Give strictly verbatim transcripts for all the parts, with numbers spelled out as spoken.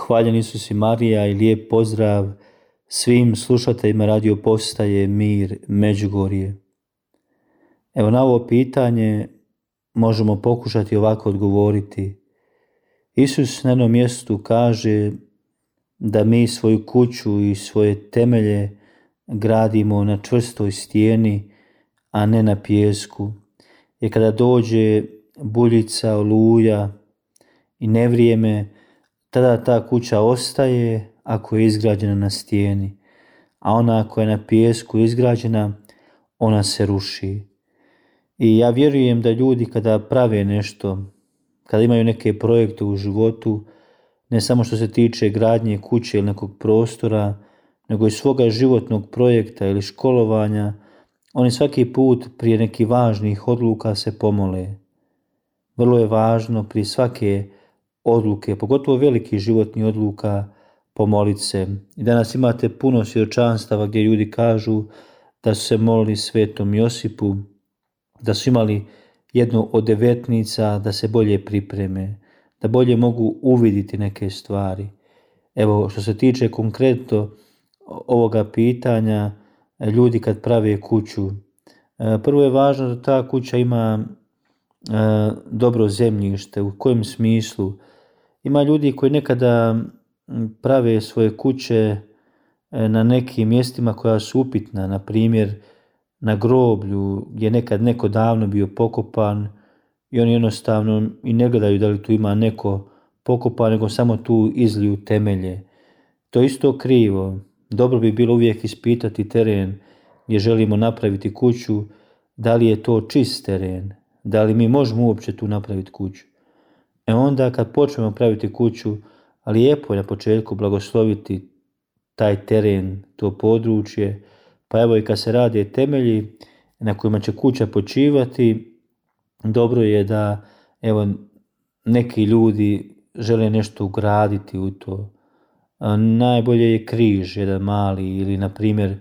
Hvaljen Isus i Marija i lijep pozdrav svim slušateljima radio postaje Mir Međugorje. Evo na ovo pitanje možemo pokušati ovako odgovoriti. Isus na jednom mjestu kaže da mi svoju kuću i svoje temelje gradimo na čvrstoj stijeni, a ne na pijesku. Jer kada dođe buljica, oluja i nevrijeme, tada ta kuća ostaje ako je izgrađena na stijeni, a ona koja je na pijesku izgrađena, ona se ruši. I ja vjerujem da ljudi kada prave nešto, kada imaju neke projekte u životu, ne samo što se tiče gradnje kuće ili nekog prostora, nego i svoga životnog projekta ili školovanja, oni svaki put prije nekih važnih odluka se pomole. Vrlo je važno prije svake odluke, pogotovo velikih životnih odluka, pomoliti se. I danas imate puno svjedočanstava gdje ljudi kažu da su se molili Svetom Josipu, da su imali jednu od devetnica da se bolje pripreme, da bolje mogu uvidjeti neke stvari. Evo, što se tiče konkretno ovoga pitanja, ljudi kad prave kuću, prvo je važno da ta kuća ima dobro zemljište. U kojem smislu? Ima ljudi koji nekada prave svoje kuće na nekim mjestima koja su upitna, na primjer na groblju gdje je nekad neko davno bio pokopan i oni jednostavno i ne gledaju da li tu ima neko pokopan, nego samo tu izliju temelje. To je isto krivo. Dobro bi bilo uvijek ispitati teren gdje želimo napraviti kuću, da li je to čist teren, da li mi možemo uopće tu napraviti kuću. E onda kad počnemo praviti kuću, lijepo je na početku blagosloviti taj teren, to područje, pa evo i kad se rade temelji na kojima će kuća počivati, dobro je da evo neki ljudi žele nešto ugraditi u to. Najbolje je križ, jedan mali, ili na primjer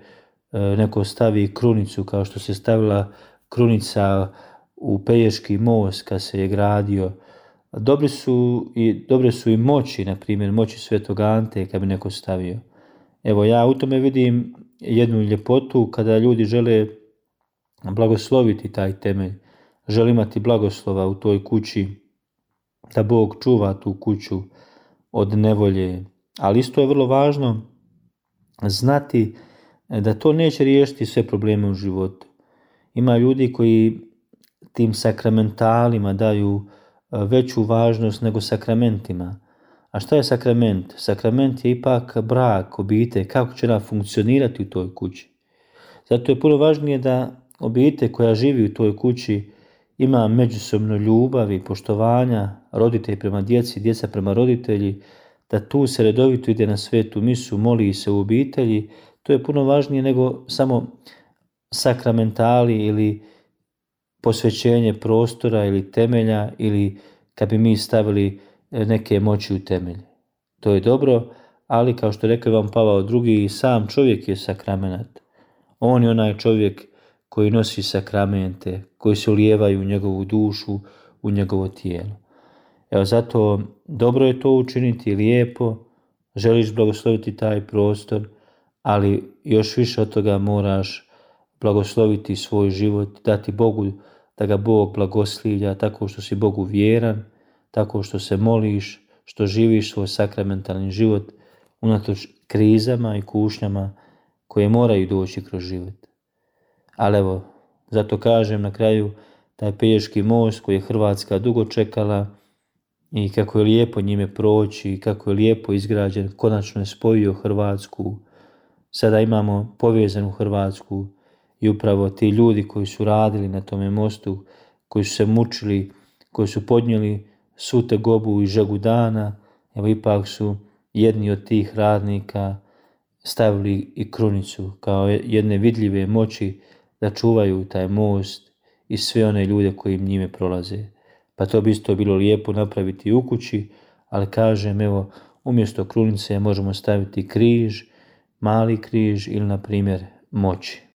neko stavi krunicu kao što se stavila krunica u Pelješki most kad se je gradio. Dobri su i, dobre su i moći, na primjer moći Svetog Ante kad bi neko stavio. Evo ja u tome vidim jednu ljepotu kada ljudi žele blagosloviti taj temelj, žele imati blagoslova u toj kući, da Bog čuva tu kuću od nevolje. Ali isto je vrlo važno znati da to neće riješiti sve probleme u životu. Ima ljudi koji tim sakramentalima daju veću važnost nego sakramentima. A šta je sakrament? Sakrament je ipak brak, obitelj, kako će ona funkcionirati u toj kući. Zato je puno važnije da obitelj koja živi u toj kući ima međusobno ljubav i poštovanja, roditelji prema djeci, djeca prema roditelji, da tu se redovito ide na svetu misu, moli se u obitelji. To je puno važnije nego samo sakramentali ili posvećenje prostora ili temelja, ili kad bi mi stavili neke moći u temelj. To je dobro, ali kao što rekao vam Pavao drugi, sam čovjek je sakramenat. On je onaj čovjek koji nosi sakramente, koji se ulijevaju u njegovu dušu, u njegovo tijelo. Evo zato dobro je to učiniti, lijepo, želiš blagosloviti taj prostor, ali još više od toga moraš blagosloviti svoj život, dati Bogu da ga Bog blagoslivlja tako što si Bogu vjeran, tako što se moliš, što živiš svoj sakramentalni život unatoč krizama i kušnjama koje moraju doći kroz život. Ali evo, zato kažem na kraju, taj Pelješki most koji je Hrvatska dugo čekala i kako je lijepo njime proći i kako je lijepo izgrađen, konačno je spojio Hrvatsku. Sada imamo povezanu Hrvatsku i upravo ti ljudi koji su radili na tome mostu, koji su se mučili, koji su podnijeli svu tegobu i žegu dana, evo ipak su jedni od tih radnika stavili i krunicu kao jedne vidljive moći da čuvaju taj most i sve one ljude koji njime prolaze. Pa to bi isto bilo lijepo napraviti u kući, ali kažem, evo, umjesto krunice možemo staviti križ, mali križ ili na primjer moći.